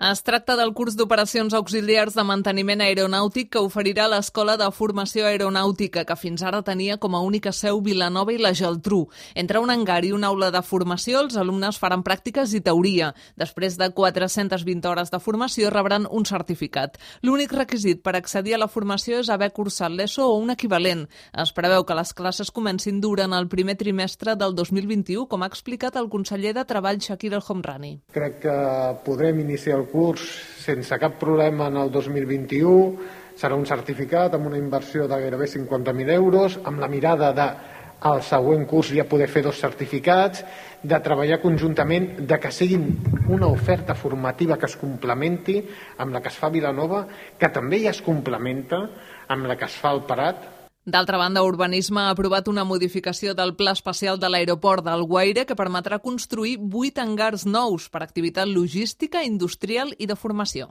Es tracta del curs d'operacions auxiliars de manteniment aeronàutic que oferirà l'Escola de Formació Aeronàutica, que fins ara tenia com a única seu Vilanova i la Geltrú. Entre un hangar i una aula de formació, els alumnes faran pràctiques i teoria. Després de 420 hores de formació, rebran un certificat. L'únic requisit per accedir a la formació és haver cursat l'ESO o un equivalent. Es preveu que les classes comencin durant el primer trimestre del 2021, com ha explicat el conseller de Treball, Shakir El Homrani. Crec que podrem iniciar el curs sense cap problema en el 2021. Serà un certificat amb una inversió de gairebé 50.000 euros, amb la mirada de al següent curs ja poder fer 2 certificats, de treballar conjuntament, de que siguin una oferta formativa que es complementi amb la que es fa a Vilanova, que també ja es complementa amb la que es fa al Prat. D'altra banda, Urbanisme ha aprovat una modificació del Pla Especial de l'Aeroport d'Alguaire que permetrà construir 8 hangars nous per activitat logística, industrial i de formació.